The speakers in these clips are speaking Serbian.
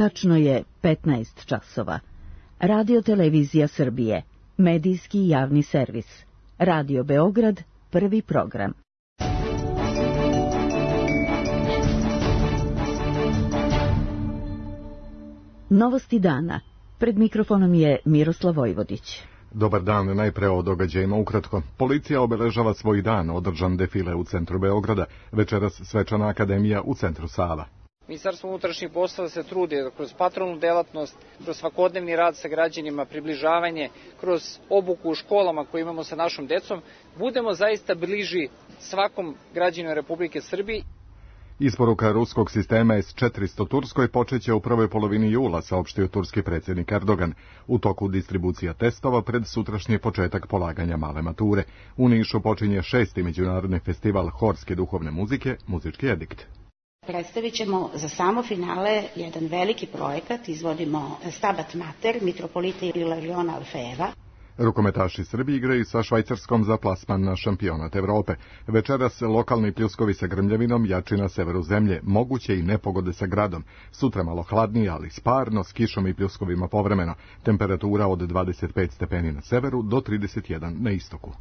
Tačno je 15 časova. Radio Televizija Srbije, medijski javni servis. Radio Beograd, prvi program. Novosti dana. Pred mikrofonom je Miroslav Vojvodić. Dobar dan, najpre o događajima ukratko. Policija obeležava svoj dan, održan defile u centru Beograda, večeras svečana akademija u centru Sava. Ministarstvo unutrašnjih poslova se trudi da kroz patrolnu delatnost, kroz svakodnevni rad sa građanima, približavanje, kroz obuku u školama koje imamo sa našom decom, budemo zaista bliži svakom građaninu Republike Srbije. Isporuka ruskog sistema S-400 Turskoj počeće u prvoj polovini jula, saopštio turski predsjednik Erdogan. U toku distribucija testova pred sutrašnji početak polaganja male mature. U Nišu počinje 6. međunarodni festival horske duhovne muzike, Muzički edikt. Predstavit ćemo za samo finale jedan veliki projekat, izvodimo Stabat Mater, mitropolita Ilariona Orfejeva. Rukometaši Srbije igraju sa Švajcarskom za plasman na šampionat Evrope. Večeras lokalni pljuskovi sa grmljavinom, jači na severu zemlje, moguće i nepogode sa gradom. Sutra malo hladnije, ali sparno, s kišom i pljuskovima povremeno. Temperatura od 25 stepeni na severu do 31 na istoku.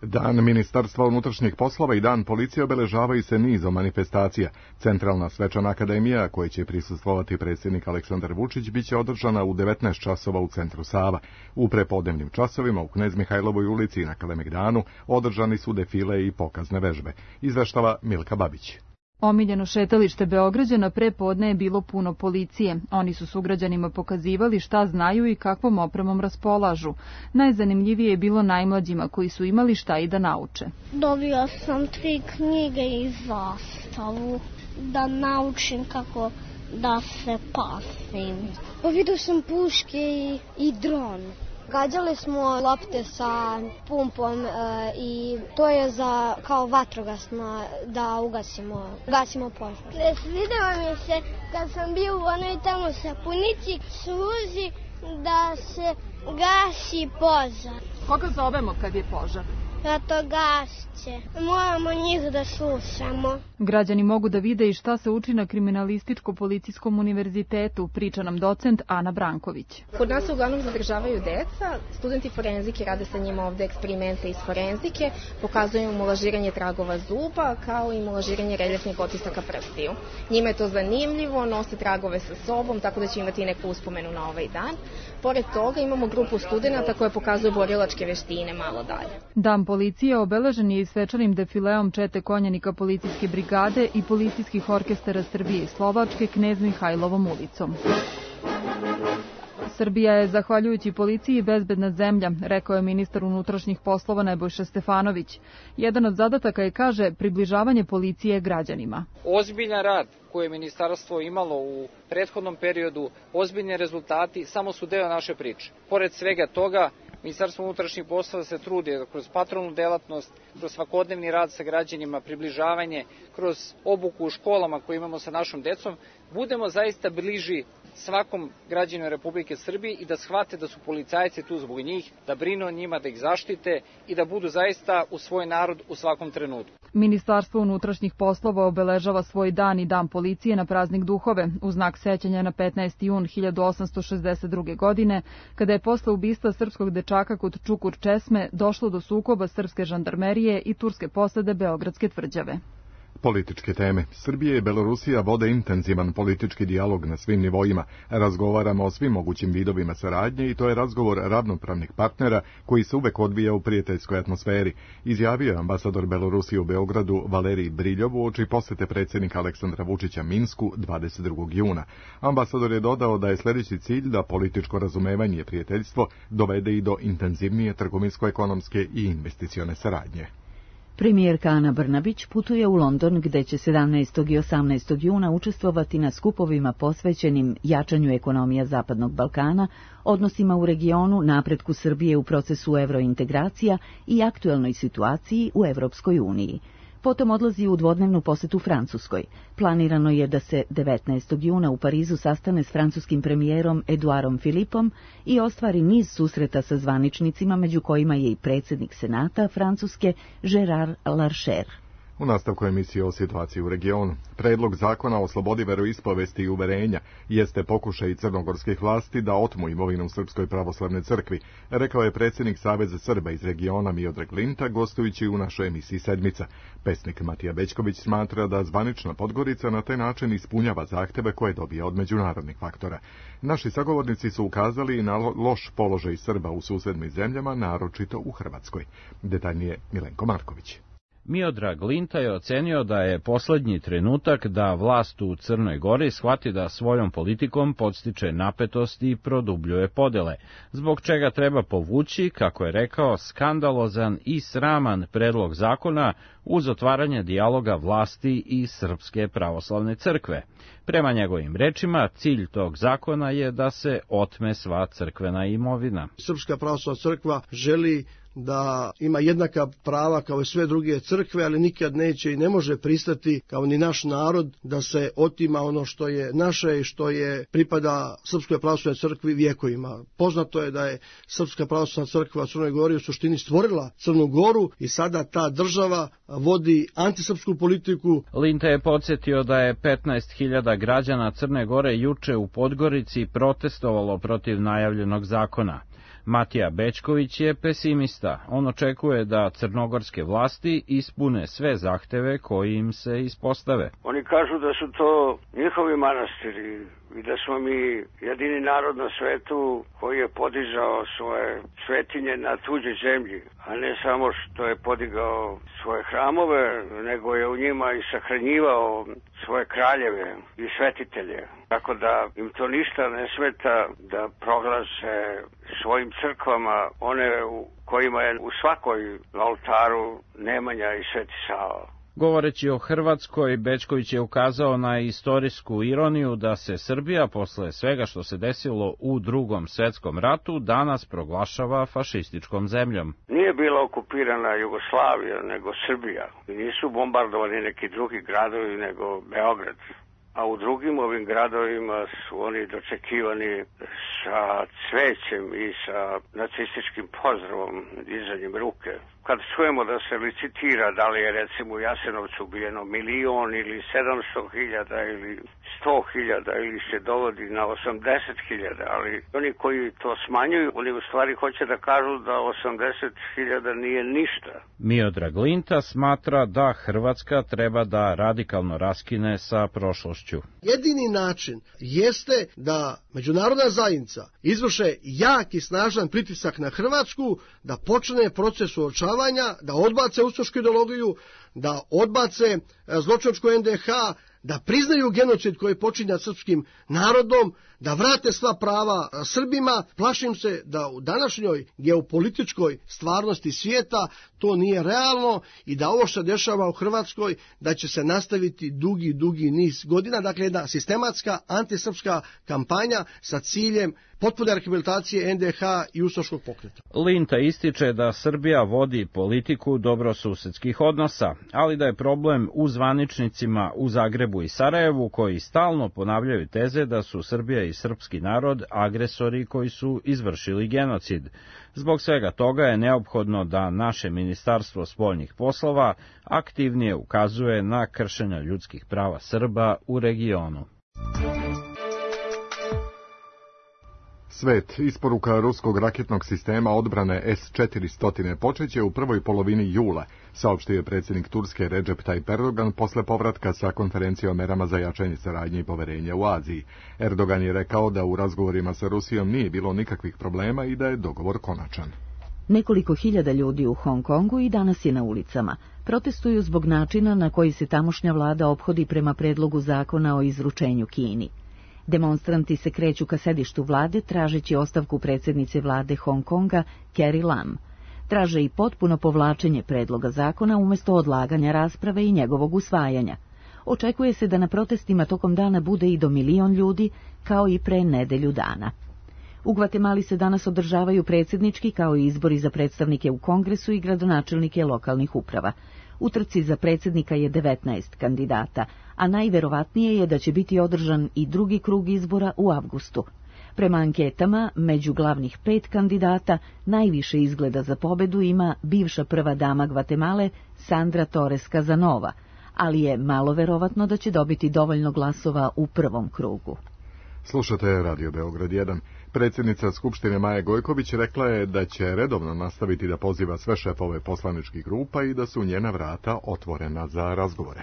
Dan Ministarstva unutrašnjih poslova i Dan policije obeležavaju se nizom manifestacija. Centralna svečana akademija, koje će prisustvovati predsjednik Aleksandar Vučić, biće održana u 19 časova u centru Sava. U prepodnevnim časovima u Knez Mihajlovoj ulici i na Kalemegdanu održani su defile i pokazne vežbe. Izveštava Milka Babić. Omiljeno šetalište Beograđana pre podne je bilo puno policije. Oni su sugrađanima pokazivali šta znaju i kakvom opremom raspolažu. Najzanimljivije je bilo najmlađima koji su imali šta i da nauče. Dobio sam 3 knjige i zastavu da naučim kako da se pasim. Vidio sam puške i dron. Gađali smo lopte sa pumpom i to je za kao vatrogasno da gasimo požar. Svidelo mi se kad sam bio u onoj tamo sapunici, služi da se gasi požar. Koga zovemo kad je požar? Vatrogasce. Moramo njih da slušamo. Građani mogu da vide i šta se uči na Kriminalističko-policijskom univerzitetu, priča nam docent Ana Branković. Kod nas se uglavnom zadržavaju deca, studenti forenzike rade sa njima ovde eksperimente iz forenzike, pokazuju im lažiranje tragova zuba, kao i lažiranje reljefnih otisaka prstiju. Njima je to zanimljivo, nose tragove sa sobom, tako da će imati neku uspomenu na ovaj dan. Pored toga imamo grupu studenata koje pokazuju borilačke veštine malo dalje. Dan policije obeležen je i svečanim defileom čete konjanika policijske brigade i policijskih orkestara Srbije i Slovačke Knez Mihajlovom ulicom. Srbija je, zahvaljujući policiji, bezbedna zemlja, rekao je ministar unutrašnjih poslova Nebojša Stefanović. Jedan od zadataka je, kaže, približavanje policije građanima. Ozbiljan rad koje je ministarstvo imalo u prethodnom periodu, ozbiljni rezultati, samo su deo naše priče. Pored svega toga, Ministarstvo unutrašnjih poslova se trudi da kroz patrolnu delatnost, kroz svakodnevni rad sa građanima, približavanje, kroz obuku u školama koje imamo sa našom decom, budemo zaista bliži svakom građaninu Republike Srbije i da shvate da su policajci tu zbog njih, da brinu o njima, da ih zaštite i da budu zaista u svoj narod u svakom trenutku. Ministarstvo unutrašnjih poslova obeležava svoj dan i Dan policije na praznik Duhove, u znak sećanja na 15. jun 1862. godine, kada je posle ubistva srpskog dečaka kod Čukur Česme došlo do sukoba srpske žandarmerije i turske posade Beogradske tvrđave. Političke teme. Srbija i Belorusija vode intenzivan politički dijalog na svim nivoima. Razgovaramo o svim mogućim vidovima saradnje i to je razgovor ravnopravnih partnera koji se uvek odvija u prijateljskoj atmosferi, izjavio je ambasador Belorusije u Beogradu Valerij Briljov uoči posete predsjednika Aleksandra Vučića Minsku 22. juna. Ambasador je dodao da je sljedeći cilj da političko razumevanje i prijateljstvo dovede i do intenzivnije trgovinsko-ekonomske i investicione saradnje. Premijerka Ana Brnabić putuje u London gde će 17. i 18. juna učestvovati na skupovima posvećenim jačanju ekonomija Zapadnog Balkana, odnosima u regionu, napretku Srbije u procesu evrointegracija i aktuelnoj situaciji u Evropskoj uniji. Potom odlazi u dvodnevnu posetu Francuskoj. Planirano je da se 19. juna u Parizu sastane s francuskim premijerom Eduardom Philippom i ostvari niz susreta sa zvaničnicima, među kojima je i predsjednik Senata Francuske Gérard Larcher. U nastavku emisije o situaciji u regionu, predlog zakona o slobodi veroispovesti i uverenja jeste pokušaj crnogorskih vlasti da otmu imovinu u Srpskoj pravoslavnoj crkvi, rekao je predsjednik Saveza Srba iz regiona Miodrag Linta, gostujući u našoj emisiji Sedmica. Pesnik Matija Bećković smatra da zvanična Podgorica na taj način ispunjava zahteve koje dobija od međunarodnih faktora. Naši sagovornici su ukazali na loš položaj Srba u susednim zemljama, naročito u Hrvatskoj. Detaljnije Milenko Marković. Miodrag Linta je ocenio da je posljednji trenutak da vlast u Crnoj Gori shvati da svojom politikom podstiče napetost i produbljuje podele, zbog čega treba povući, kako je rekao, skandalozan i sraman predlog zakona uz otvaranje dijaloga vlasti i Srpske pravoslavne crkve. Prema njegovim rečima, cilj tog zakona je da se otme sva crkvena imovina. Srpska pravoslavna crkva želi da ima jednaka prava kao i sve druge crkve, ali nikad neće i ne može pristati, kao ni naš narod, da se otima ono što je naše i što je pripada Srpskoj pravoslavnoj crkvi vjekovima. Poznato je da je Srpska pravoslavna crkva u Crnoj Gori u suštini stvorila Crnu Goru i sada ta država vodi antisrpsku politiku. Linta je podsjetio da je 15.000 građana Crne Gore juče u Podgorici protestovalo protiv najavljenog zakona. Matija Bećković je pesimista. On očekuje da crnogorske vlasti ispune sve zahteve koji im se ispostave. Oni kažu da su to njihovi manastiri i da smo mi jedini narod na svetu koji je podizao svoje svetinje na tuđoj zemlji, a ne samo što je podigao svoje hramove, nego je u njima i sahranjivao svoje kraljeve i svetitelje. Tako da im to ništa ne smeta da proglase svojim crkvama one u kojima je u svakoj oltaru Nemanja i Sveti Sava. Govoreći o Hrvatskoj, Bećković je ukazao na istorijsku ironiju da se Srbija, posle svega što se desilo u Drugom svetskom ratu, danas proglašava fašističkom zemljom. Nije bila okupirana Jugoslavija, nego Srbija. I nisu bombardovani neki drugi gradovi, nego Beograd. A u drugim ovim gradovima su oni dočekivani sa cvećem i sa nacističkim pozdravom, dizanjem ruke. Kad čujemo da se licitira da li je recimo u Jasenovcu ubijeno 1.000.000 ili 700.000 ili 100.000 ili se dovodi na 80.000, ali oni koji to smanjuju, oni u stvari hoće da kažu da 80.000 nije ništa. Miodrag Linta smatra da Hrvatska treba da radikalno raskine sa prošlošću. Jedini način jeste da međunarodna zajednica izvrše jak i snažan pritisak na Hrvatsku, da počne proces suočavanja, da odbace ustašku ideologiju, da odbace zločinačku NDH, da priznaju genocid koji počinja srpskim narodom, da vrate sva prava Srbima. Plašim se da u današnjoj geopolitičkoj stvarnosti svijeta to nije realno i da ovo što dešava u Hrvatskoj da će se nastaviti dugi niz godina. Dakle, jedna sistematska antisrpska kampanja sa ciljem potpune rehabilitacije NDH i ustaškog pokreta. Linta ističe da Srbija vodi politiku dobrosusedskih odnosa, ali da je problem u zvaničnicima u Zagrebu i Sarajevu koji stalno ponavljaju teze da su Srbija i srpski narod agresori koji su izvršili genocid. Zbog svega toga je neophodno da naše Ministarstvo spoljnih poslova aktivnije ukazuje na kršenja ljudskih prava Srba u regionu. Svet, isporuka ruskog raketnog sistema odbrane S-400 počeće u prvoj polovini jula, saopštio je predsjednik Turske Recep Tayyip Erdogan posle povratka sa konferencije o merama za jačanje saradnje i poverenja u Aziji. Erdogan je rekao da u razgovorima sa Rusijom nije bilo nikakvih problema i da je dogovor konačan. Nekoliko hiljada ljudi u Hong Kongu i danas je na ulicama. Protestuju zbog načina na koji se tamošnja vlada ophodi prema predlogu zakona o izručenju Kini. Demonstranti se kreću ka sedištu vlade tražeći ostavku predsjednice vlade Hong Konga Carrie Lam. Traže i potpuno povlačenje predloga zakona umjesto odlaganja rasprave i njegovog usvajanja. Očekuje se da na protestima tokom dana bude i do 1 milion ljudi, kao i pre nedelju dana. U Gvatemali se danas održavaju predsjednički kao i izbori za predstavnike u Kongresu i gradonačelnike lokalnih uprava. U trci za predsjednika je 19 kandidata, a najverovatnije je da će biti održan i drugi krug izbora u avgustu. Prema anketama, među glavnih 5 kandidata najviše izgleda za pobedu ima bivša prva dama Gvatemale Sandra Torres Casanova, ali je malo verovatno da će dobiti dovoljno glasova u prvom krugu. Slušate Radio Beograd 1. Predsjednica Skupštine Maja Gojković rekla je da će redovno nastaviti da poziva sve šefove poslaničkih grupa i da su njena vrata otvorena za razgovore.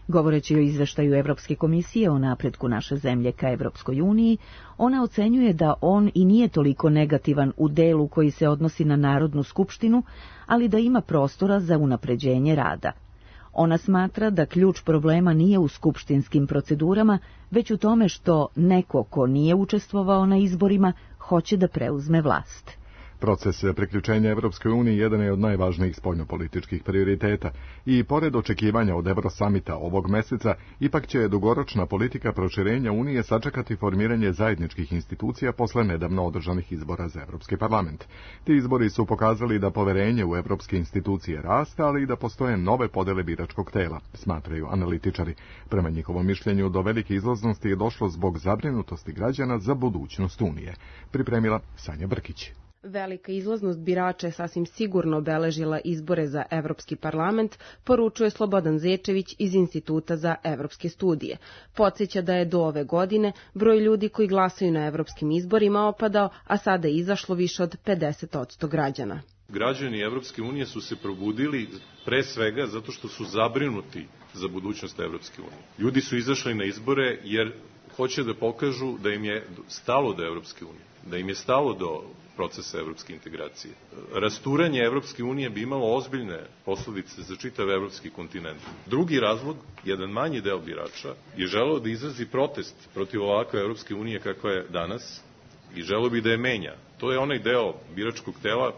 Govoreći o izveštaju Evropske komisije o napretku naše zemlje ka Evropskoj uniji, ona ocenjuje da on i nije toliko negativan u delu koji se odnosi na Narodnu skupštinu, ali da ima prostora za unapređenje rada. Ona smatra da ključ problema nije u skupštinskim procedurama, već u tome što neko ko nije učestvovao na izborima hoće da preuzme vlast. Proces priključenja Evropskoj uniji jedan je od najvažnijih spoljnopolitičkih prioriteta i pored očekivanja od Eurosamita ovog meseca, ipak će dugoročna politika proširenja Unije sačekati formiranje zajedničkih institucija posle nedavno održanih izbora za Evropski parlament. Ti izbori su pokazali da poverenje u evropske institucije raste, ali i da postoje nove podele biračkog tela, smatraju analitičari. Prema njihovom mišljenju, do velike izlaznosti je došlo zbog zabrinutosti građana za budućnost Unije. Pripremila Sanja Brkić. Velika izlaznost birača je sasvim sigurno obeležila izbore za Evropski parlament, poručuje Slobodan Zečević iz Instituta za evropske studije. Podsjeća da je do ove godine broj ljudi koji glasaju na evropskim izborima opadao, a sada je izašlo više od 50% građana. Građani Evropske unije su se probudili pre svega zato što su zabrinuti za budućnost Evropske unije. Ljudi su izašli na izbore jer hoće da pokažu da im je stalo do Evropske unije, da im je stalo do procesa evropske integracije. Rasturanje Evropske unije bi imalo ozbiljne posledice za čitav evropski kontinent. Drugi razlog, jedan manji deo birača, je želeo da izrazi protest protiv ovakve Evropske unije kakva je danas i želeo bi da je menja. To je onaj deo biračkog tela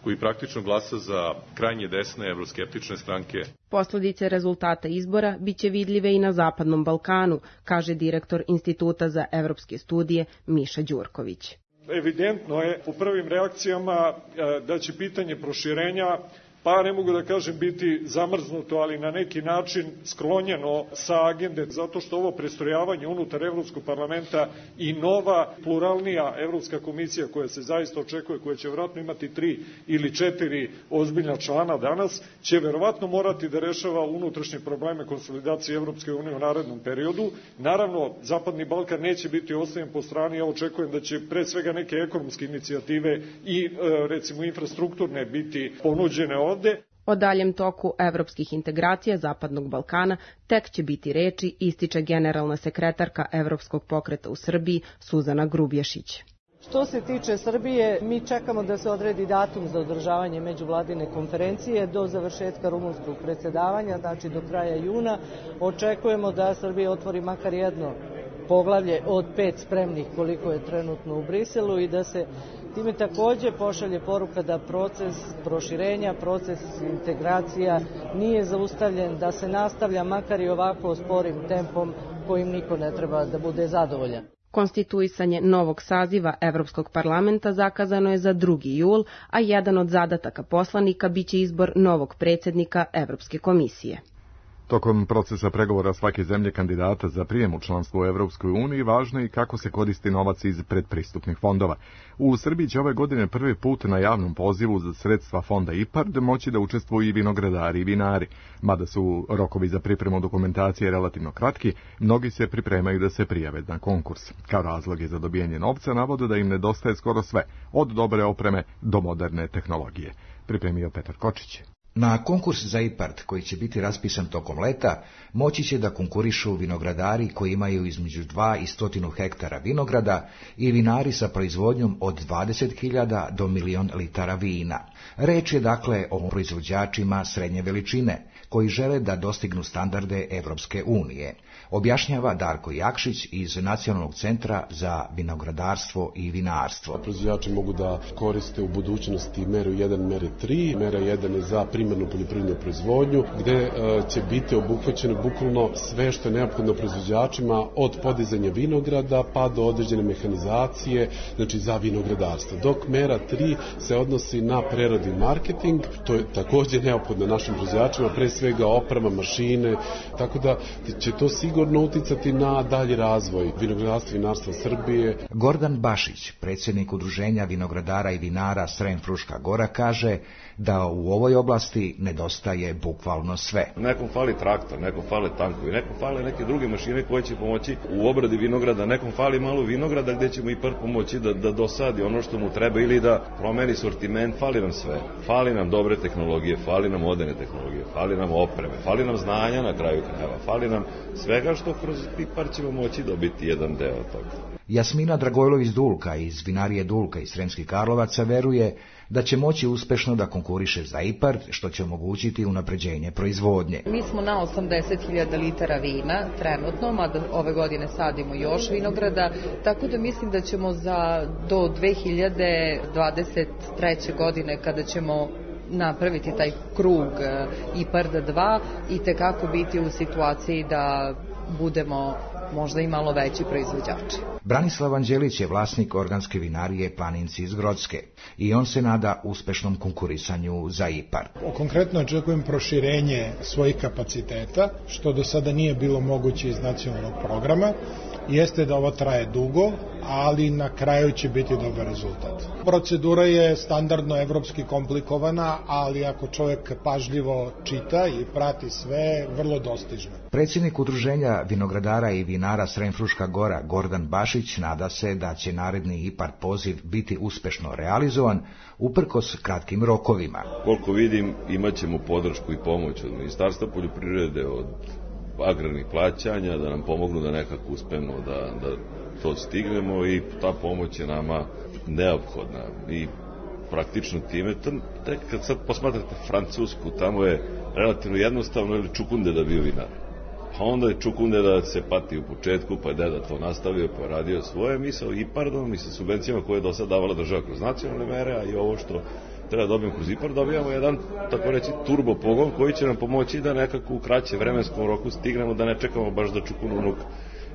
koji praktično glasa za krajnje desne evroskeptične stranke. Posledice rezultata izbora biće vidljive i na Zapadnom Balkanu, kaže direktor Instituta za evropske studije Miša Đurković. Evidentno je u prvim reakcijama da će pitanje proširenja, pa ne mogu da kažem biti zamrznuto, ali na neki način sklonjeno sa agende, zato što ovo prestrojavanje unutar Evropskog parlamenta i nova pluralnija Evropska komisija koja se zaista očekuje, koja će vjerojatno imati 3 ili 4 ozbiljna člana danas, će vjerovatno morati da rešava unutrašnje probleme konsolidacije Evropske unije u narednom periodu. Naravno, Zapadni Balkan neće biti ostavljen po strani, ja očekujem da će pre svega neke ekonomske inicijative i recimo infrastrukturne biti ponuđene ovde. O daljem toku evropskih integracija Zapadnog Balkana tek će biti reči, ističe generalna sekretarka Evropskog pokreta u Srbiji Suzana Grubješić. Što se tiče Srbije, mi čekamo da se odredi datum za održavanje međuvladine konferencije do završetka rumunskog predsjedavanja, znači do kraja juna. Očekujemo da Srbija otvori makar jedno poglavlje od 5 spremnih koliko je trenutno u Briselu i da se time takođe pošalje poruka da proces proširenja, proces integracija nije zaustavljen, da se nastavlja makar i ovako sporim tempom kojim niko ne treba da bude zadovoljan. Konstituisanje novog saziva Evropskog parlamenta zakazano je za 2. jul, a jedan od zadataka poslanika biće izbor novog predsjednika Evropske komisije. Tokom procesa pregovora svake zemlje kandidata za prijem u članstvo u Evropskoj uniji važno je i kako se koristi novac iz predpristupnih fondova. U Srbiji će ove godine prvi put na javnom pozivu za sredstva fonda IPARD moći da učestvuju i vinogradari i vinari. Mada su rokovi za pripremu dokumentacije relativno kratki, mnogi se pripremaju da se prijave na konkurs. Kao razloge za dobijanje novca navode da im nedostaje skoro sve, od dobre opreme do moderne tehnologije. Pripremio Petar Kočić. Na konkurs za IPARD, koji će biti raspisan tokom leta, moći će da konkurišu vinogradari koji imaju između 2 i 100 hektara vinograda i vinari sa proizvodnjom od 20.000 do 1.000.000 litara vina. Reč je dakle o proizvođačima srednje veličine, koji žele da dostignu standarde Evropske unije, objašnjava Darko Jakšić iz Nacionalnog centra za vinogradarstvo i vinarstvo. Proizvođači mogu da koriste u budućnosti meru 1, mere 3. Mera 1 je za primarnu poljoprivrednu proizvodnju, gde će biti obuhvaćeno bukvalno sve što je neophodno proizvođačima od podizanja vinograda pa do određene mehanizacije, znači za vinogradarstvo. Dok mera 3 se odnosi na preradu i marketing, to je također neophodno našim proizvođačima, pre svega oprema, mašine, tako da će to sigurno uticati na dalji razvoj vinogradarstva i vinarstva Srbije. Gordan Bašić, predsjednik Udruženja vinogradara i vinara Srem-Fruška Gora, kaže da u ovoj oblasti nedostaje bukvalno sve. Nekom fali traktor, nekom fale tankovi, nekom fale neke druge mašine koje će pomoći u obradi vinograda, nekom fali malo vinograda gdje ćemo i pomoći da dosadi ono što mu treba ili da promeni sortiment, fali nam sve. Fali nam dobre tehnologije, fali nam moderne tehnologije, fali nam opreme, fali nam znanja na kraju krajeva, fali nam svega što kroz IPARD ćemo moći dobiti jedan deo toga. Jasmina Dragojlović-Dulka iz vinarije Dulka iz Sremskih Karlovaca veruje da će moći uspešno da konkuriše za IPARD, što će omogućiti unapređenje proizvodnje. Mi smo na 80.000 litara vina trenutno, mada ove godine sadimo još vinograda, tako da mislim da ćemo do 2023. godine, kada ćemo napraviti taj krug IPARD 2, i tekako biti u situaciji da budemo možda i malo veći proizvođači. Branislav Anđelić je vlasnik organske vinarije Planinci iz Grocke i on se nada uspešnom konkurisanju za IPARD. Konkretno očekujem proširenje svojih kapaciteta, što do sada nije bilo moguće iz nacionalnog programa. Jeste da ovo traje dugo, ali na kraju će biti dobar rezultat. Procedura je standardno evropski komplikovana, ali ako čovjek pažljivo čita i prati sve, vrlo dostižno. Predsjednik Udruženja vinogradara i vinara Srem-Fruška Gora Gordan Bašić nada se da će naredni IPARD poziv biti uspešno realizovan uprkos kratkim rokovima. Koliko vidim, imat ćemo podršku i pomoć od Ministarstva poljoprivrede, od agrarnih plaćanja, da nam pomognu da nekako uspemo da to stignemo, i ta pomoć je nama neophodna. I praktično time, kad sad posmatrate Francusku, tamo je relativno jednostavno ili čukunde da bio vinar. Pa onda je čukunde da se pati u početku, pa je deda to nastavio, pa je radio svoje, mi sa IPARD-om i sa subvencijama koje je do sad davala država kroz nacionalne mere, a i ovo što treba dobijemo kroz IPARD, dobijamo jedan, tako reći, turbo pogon koji će nam pomoći da nekako u kraćem vremenskom roku stignemo, da ne čekamo baš da čukununuk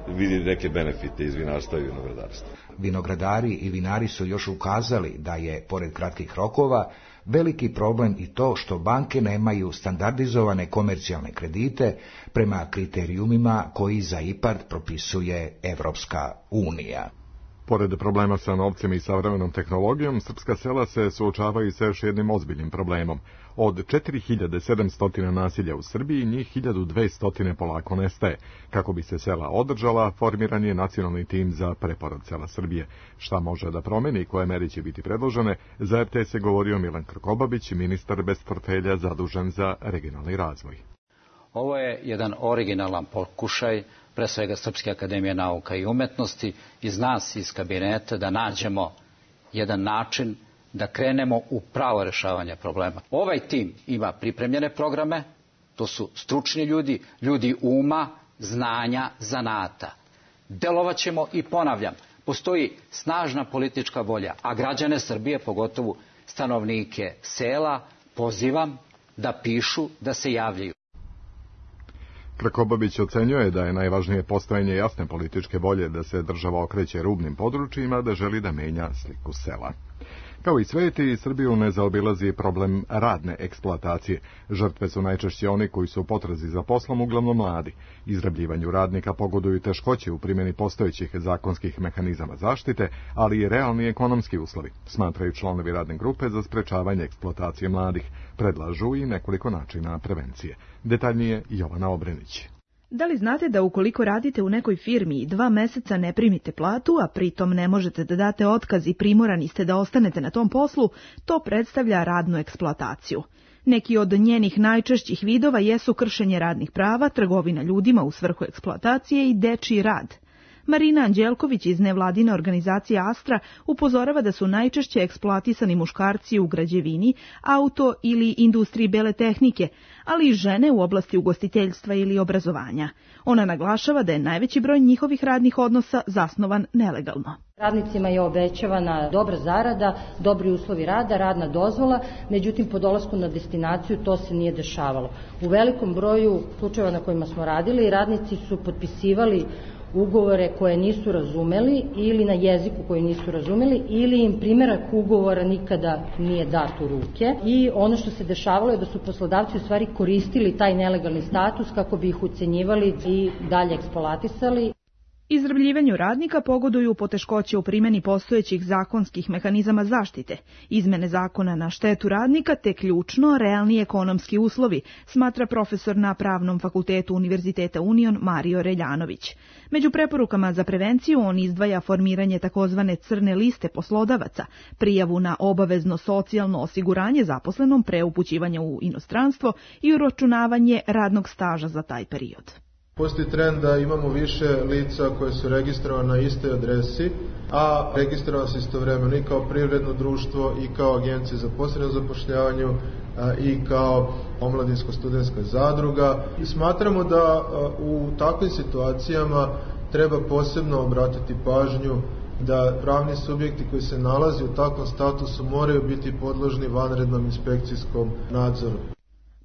vidi neke benefite iz vinarstva i vinogradarstva. Vinogradari i vinari su još ukazali da je, pored kratkih rokova, veliki problem i to što banke nemaju standardizovane komercijalne kredite prema kriterijumima koji za IPARD propisuje Evropska unija. Pored problema sa novcem i savremenom tehnologijom, srpska sela se suočavaju sa još jednim ozbiljnim problemom. Od 4700 naselja u Srbiji, njih 1200 polako nestaje. Kako bi se sela održala, formiran je nacionalni tim za preporod sela Srbije. Šta može da promeni i koje meri će biti predložene, za RTS je govorio Milan Krkobabić, ministar bez portfelja zadužen za regionalni razvoj. Ovo je jedan originalan pokušaj, pre svega Srpske akademije nauka i umetnosti, iz nas, iz kabineta, da nađemo jedan način da krenemo u pravo rešavanje problema. Ovaj tim ima pripremljene programe, to su stručni ljudi, ljudi uma, znanja, zanata. Delovaćemo i ponavljam, postoji snažna politička volja, a građane Srbije, pogotovo stanovnike sela, pozivam da pišu, da se javljaju. Krkobabić ocenjuje da je najvažnije postojanje jasne političke volje da se država okreće rubnim područjima, da želi da menja sliku sela. Kao i sveti, Srbiju ne zaobilazi problem radne eksploatacije. Žrtve su najčešće oni koji su u potrazi za poslom, uglavnom mladi. Izrabljivanju radnika pogoduju teškoće u primjeni postojećih zakonskih mehanizama zaštite, ali i realni ekonomski uslovi, smatraju članovi radne grupe za sprečavanje eksploatacije mladih. Predlažu i nekoliko načina prevencije. Detaljnije Jovana Obrenić. Da li znate da ukoliko radite u nekoj firmi i 2 meseca ne primite platu, a pritom ne možete da date otkaz i primorani ste da ostanete na tom poslu, to predstavlja radnu eksploataciju. Neki od njenih najčešćih vidova jesu kršenje radnih prava, trgovina ljudima u svrhu eksploatacije i dečiji rad. Marina Anđelković iz nevladine organizacije Astra upozorava da su najčešće eksploatisani muškarci u građevini, auto ili industriji bele tehnike, ali i žene u oblasti ugostiteljstva ili obrazovanja. Ona naglašava da je najveći broj njihovih radnih odnosa zasnovan nelegalno. Radnicima je obećavana dobra zarada, dobri uslovi rada, radna dozvola, međutim po dolasku na destinaciju to se nije dešavalo. U velikom broju slučajeva na kojima smo radili, radnici su potpisivali ugovore koje nisu razumeli ili na jeziku koji nisu razumeli ili im primerak ugovora nikada nije dat u ruke i ono što se dešavalo je da su poslodavci u stvari koristili taj nelegalni status kako bi ih ucenjivali i dalje eksploatisali. Izrabljivanju radnika pogoduju poteškoće u primjeni postojećih zakonskih mehanizama zaštite, izmene zakona na štetu radnika te ključno realni ekonomski uslovi, smatra profesor na Pravnom fakultetu Univerziteta Union Mario Reljanović. Među preporukama za prevenciju on izdvaja formiranje takozvane crne liste poslodavaca, prijavu na obavezno socijalno osiguranje zaposlenom pre upućivanja u inostranstvo i uračunavanje radnog staža za taj period. Postoji trend da imamo više lica koje su registrovane na istoj adresi, a registrovane su istovremeno i kao privredno društvo i kao agencije za posredno zapošljavanje i kao omladinsko-studentska zadruga. I smatramo da u takvim situacijama treba posebno obratiti pažnju da pravni subjekti koji se nalaze u takvom statusu moraju biti podložni vanrednom inspekcijskom nadzoru.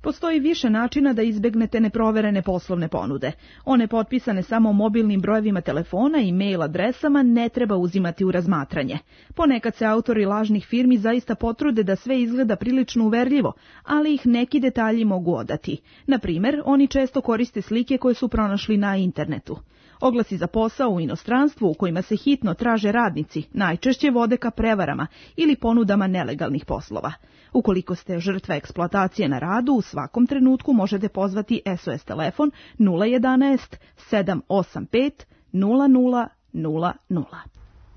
Postoji više načina da izbegnete neproverene poslovne ponude. One potpisane samo mobilnim brojevima telefona i mail adresama ne treba uzimati u razmatranje. Ponekad se autori lažnih firmi zaista potrude da sve izgleda prilično uverljivo, ali ih neki detalji mogu odati. Na primer, oni često koriste slike koje su pronašli na internetu. Oglasi za posao u inostranstvu u kojima se hitno traže radnici najčešće vode ka prevarama ili ponudama nelegalnih poslova. Ukoliko ste žrtva eksploatacije na radu, u svakom trenutku možete pozvati SOS telefon 011 785 0000.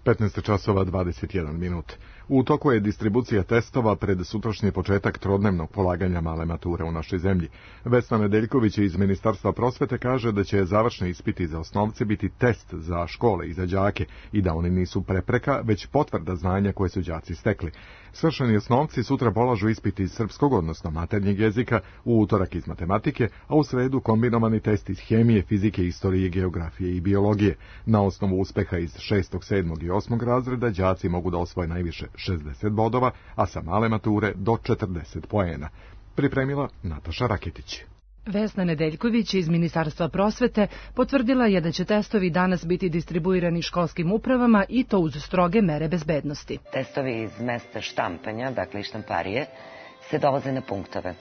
15 časova 21 minut. U toku je distribucija testova pred sutrašnji početak trodnevnog polaganja male mature u našoj zemlji. Vesna Nedeljković iz Ministarstva prosvete kaže da će završni ispiti za osnovce biti test za škole i za đake i da oni nisu prepreka, već potvrda znanja koje su đaci stekli. Svršeni osnovci sutra polažu ispit iz srpskog, odnosno maternjeg jezika, u utorak iz matematike, a u sredu kombinovani test iz hemije, fizike, istorije, geografije i biologije. Na osnovu uspeha iz 6., 7. i 8. razreda đaci mogu da osvoje najviše 60 bodova, a sa male mature do 40 poena. Pripremila Nataša Raketić. Vesna Nedeljković iz Ministarstva prosvete potvrdila je da će testovi danas biti distribuirani školskim upravama i to uz stroge mere bezbednosti. Testovi iz mesta štampanja, dakle štamparije, se dovoze na punktove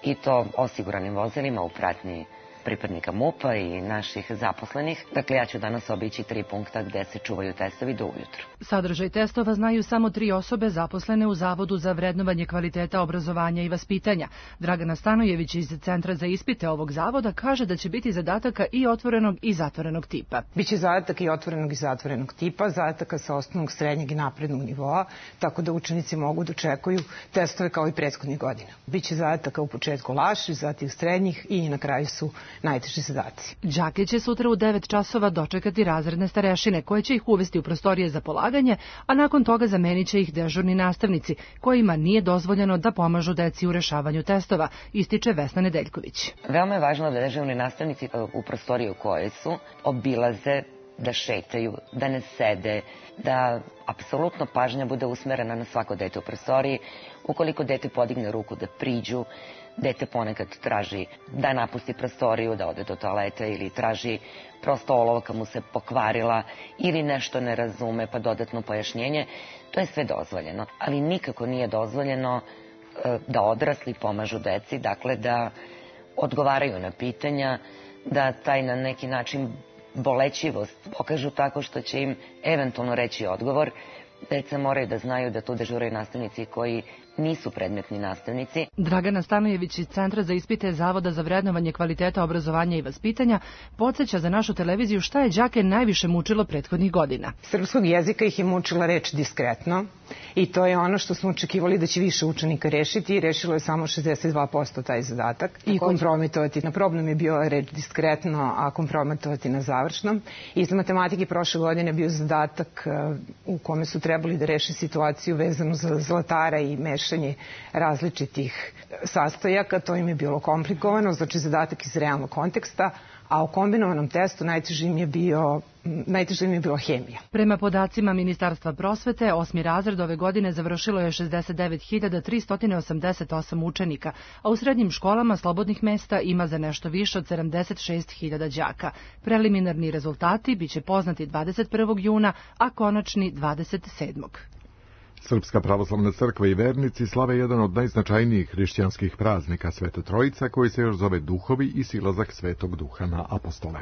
i to osiguranim vozilima u pratnji pripadnika MUP-a i naših zaposlenih. Dakle, ja ću danas obići 3 punkta gde se čuvaju testovi do ujutru. Sadržaj testova znaju samo 3 osobe zaposlene u Zavodu za vrednovanje kvaliteta obrazovanja i vaspitanja. Dragana Stanojević iz Centra za ispite ovog zavoda kaže da će biti zadataka i otvorenog i zatvorenog tipa. Biće zadatak i otvorenog i zatvorenog tipa, zadataka sa osnovnog, srednjeg i naprednog nivoa, tako da učenici mogu da očekuju testove kao i prethodnih godina. Biće zadataka u početku lakših, zatim srednjih i na kraju su najteži zadaci. Đake će sutra u 9 časova dočekati razredne starešine koje će ih uvesti u prostorije za polaganje, a nakon toga zamenit će ih dežurni nastavnici kojima nije dozvoljeno da pomažu deci u rešavanju testova, ističe Vesna Nedeljković. Veoma je važno da dežurni nastavnici u prostoriju koje su obilaze, da šetaju, da ne sede, da apsolutno pažnja bude usmerena na svako dete u prostoriji. Ukoliko dete podigne ruku da priđu, dete ponekad traži da napusti prostoriju, da ode do toaleta ili traži prosto olovka mu se pokvarila ili nešto ne razume pa dodatno pojašnjenje, to je sve dozvoljeno. Ali nikako nije dozvoljeno da odrasli pomažu deci, dakle da odgovaraju na pitanja, da taj na neki način bolećivost pokažu tako što će im eventualno reći odgovor. Deca moraju da znaju da tu dežuraju nastavnici koji nisu predmetni nastavnici. Dragana Stanojević iz Centra za ispite Zavoda za vrednovanje kvaliteta obrazovanja i vaspitanja podsjeća za našu televiziju šta je đake najviše mučilo prethodnih godina. Srpskog jezika ih je mučila reč diskretno i to je ono što smo očekivali da će više učenika rešiti i rešilo je samo 62% taj zadatak. I kompromitovati. Na problem je bio reč diskretno, a kompromitovati na završnom. Iz matematike prošle godine bio zadatak u kome su trebali da reše situaciju vezanu za zlatara i meš mešanje različitih sastojaka, to im je bilo komplikovano, znači zadatak iz realnog konteksta, a u kombinovanom testu najteže im je bila hemija. Prema podacima Ministarstva prosvete, 8. razred ove godine završilo je 69.388 učenika, a u srednjim školama slobodnih mesta ima za nešto više od 76.000 đaka. Preliminarni rezultati biće poznati 21. juna, a konačni 27. Srpska pravoslavna crkva i vernici slave jedan od najznačajnijih hrišćanskih praznika Sveta Trojica, koji se još zove Duhovi i silazak Svetog Duha na apostole.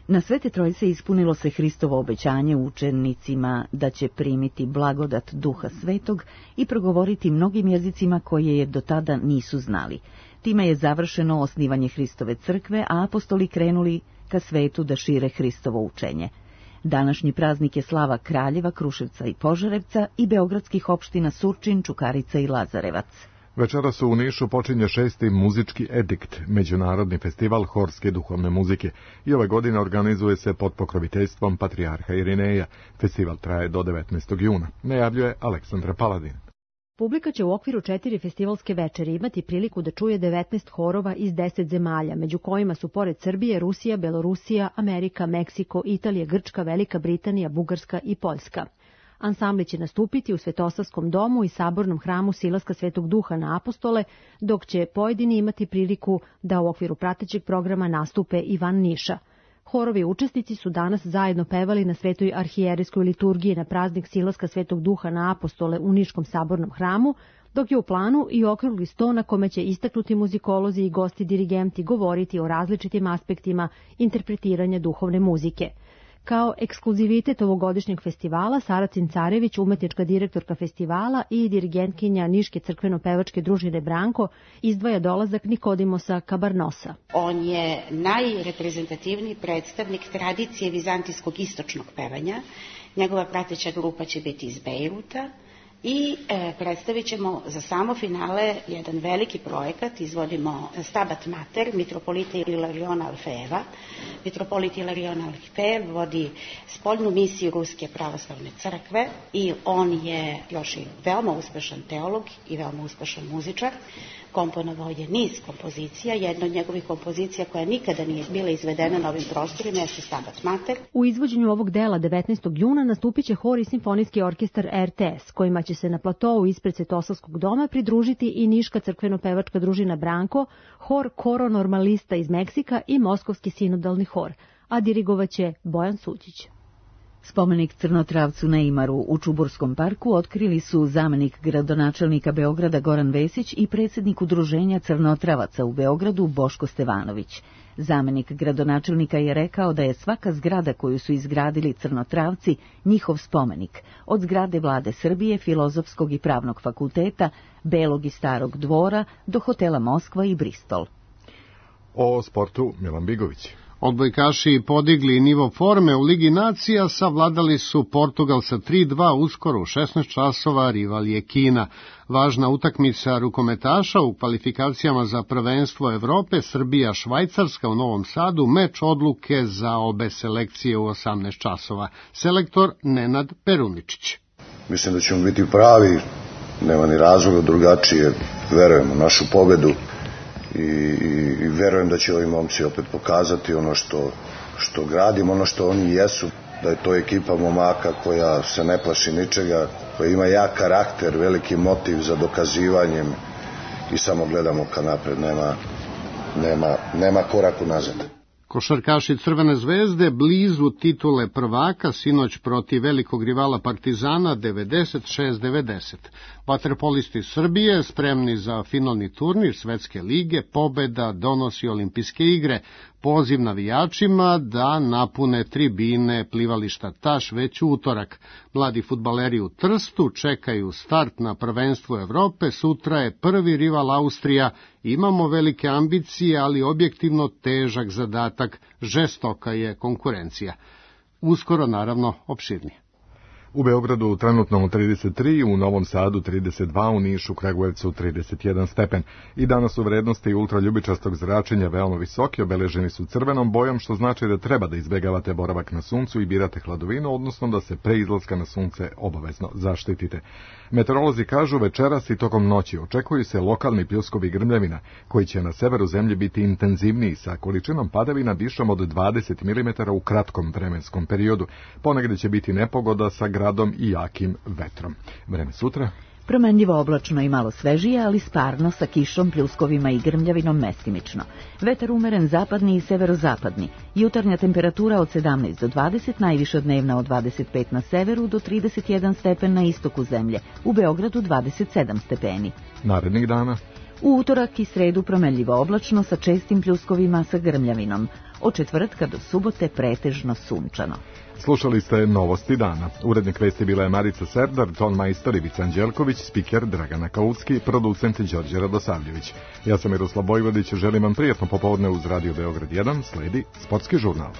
Na Svete Trojice ispunilo se Hristovo obećanje učenicima da će primiti blagodat Duha Svetog i progovoriti mnogim jezicima koje je do tada nisu znali. Time je završeno osnivanje Hristove crkve, a apostoli krenuli ka svetu da šire Hristovo učenje. Današnji praznik je slava Kraljeva, Kruševca i Požarevca i beogradskih opština Surčin, Čukarica i Lazarevac. Večeras u Nišu počinje 6. muzički edikt, međunarodni festival horske duhovne muzike, i ove godine organizuje se pod pokroviteljstvom patrijarha Irineja. Festival traje do 19. juna, najavljuje Aleksandra Paladin. Publika će u okviru 4 festivalske večeri imati priliku da čuje 19 horova iz 10 zemalja, među kojima su pored Srbije, Rusija, Belorusija, Amerika, Meksiko, Italija, Grčka, Velika Britanija, Bugarska i Poljska. Ansambli će nastupiti u Svetosavskom domu i sabornom hramu Silaska Svetog Duha na apostole, dok će pojedini imati priliku da u okviru pratećeg programa nastupe i van Niša. Horovi učesnici su danas zajedno pevali na Svetoj arhijerejskoj liturgiji na praznik Silaska Svetog Duha na apostole u Niškom sabornom hramu, dok je u planu i okrugli sto na kome će istaknuti muzikolozi i gosti dirigenti govoriti o različitim aspektima interpretiranja duhovne muzike. Kao ekskluzivitet ovogodišnjeg festivala, Sara Cincarević, umetnička direktorka festivala i dirigentkinja Niške crkveno-pevačke družine Branko, izdvaja dolazak Nikodimosa Kabarnosa. On je najreprezentativniji predstavnik tradicije vizantijskog istočnog pevanja. Njegova prateća grupa će biti iz Bejruta i predstavit ćemo za samo finale jedan veliki projekat. Izvodimo Stabat Mater mitropolita Ilariona Alfeeva. Mitropolit Ilarion Alfeev vodi spoljnu misiju Ruske pravoslavne crkve i on je još i veoma uspešan teolog i veoma uspešan muzičar. Komponovao je niz kompozicija. Jedna od njegovih kompozicija koja nikada nije bila izvedena na ovim prostorima jeste Stabat Mater. U izvođenju ovog dela 19. juna nastupit će hor i simfonijski orkestar RTS, kojima će se na platovu ispred Svetosavskog doma pridružiti i Niška crkveno-pevačka družina Branko, hor Koro Normalista iz Meksika i Moskovski sinodalni hor, a dirigovaće Bojan Suđić. Spomenik Crnotravcu Neimaru u Čuburskom parku otkrili su zamenik gradonačelnika Beograda Goran Vesić i predsjednik udruženja Crnotravaca u Beogradu Boško Stevanović. Zamenik gradonačelnika je rekao da je svaka zgrada koju su izgradili Crnotravci njihov spomenik, od zgrade Vlade Srbije, Filozofskog i Pravnog fakulteta, Belog i Starog dvora do hotela Moskva i Bristol. O sportu Milan Bigović. Odbojkaši podigli nivo forme u Ligi nacija, savladali su Portugal sa 3-2, uskoro u 16 časova, rival je Kina. Važna utakmica rukometaša u kvalifikacijama za prvenstvo Evrope, Srbija-Švajcarska u Novom Sadu, meč odluke za obe selekcije u 18 časova. Selektor Nenad Peruničić. Mislim da ćemo biti pravi, nema ni razloga drugačije, verujem u našu pobedu. I verujem da će ovi momci opet pokazati ono što gradimo, ono što oni jesu, da je to ekipa momaka koja se ne plaši ničega, koja ima jak karakter, veliki motiv za dokazivanjem i samo gledamo ka napred, nema korak unazad. Košarkaši Crvene zvezde blizu titule prvaka, sinoć protiv velikog rivala Partizana 96-90. Vaterpolisti Srbije spremni za finalni turnir Svetske lige, pobeda donosi olimpijske igre. Poziv navijačima da napune tribine plivališta Taš već u utorak. Mladi fudbaleri u Trstu čekaju start na prvenstvu Evrope, sutra je prvi rival Austrija. Imamo velike ambicije, ali objektivno težak zadatak, žestoka je konkurencija. Uskoro, naravno, opširnije. U Beogradu trenutno 33, u Novom Sadu 32, u Nišu, Kragujevcu 31 stepen. I danas su vrednosti ultraljubičastog zračenja veoma visoki, obeleženi su crvenom bojom, što znači da treba da izbegavate boravak na suncu i birate hladovinu, odnosno da se pre izlaska na sunce obavezno zaštitite. Meteorolozi kažu večeras i tokom noći očekuju se lokalni pljuskovi grmljavina, koji će na severu zemlje biti intenzivniji sa količinom padavina višom od 20 mm u kratkom vremenskom periodu. Ponegde će biti nepogoda sa gradom i jakim vetrom. Vreme sutra? Promenljivo oblačno i malo svežije, ali sparno sa kišom, pljuskovima i grmljavinom mestimično. Vetar umeren zapadni i severozapadni. Jutarnja temperatura od 17 do 20, najviša dnevna od 25 na severu do 31 stepen na istoku zemlje. U Beogradu 27 stepeni. Narednih dana? U utorak i sredu promenljivo oblačno sa čestim pljuskovima sa grmljavinom. Od četvrtka do subote pretežno sunčano. Slušali ste Novosti dana. Urednik vesti bila je Marica Serdar, ton majstor Ivica Anđelković, spiker Dragana Kaucki, producent Đorđe Radosavljević. Ja sam Miroslav Bojvodić, želim vam prijatno popodne uz Radio Beograd 1, sledi Sportski žurnal.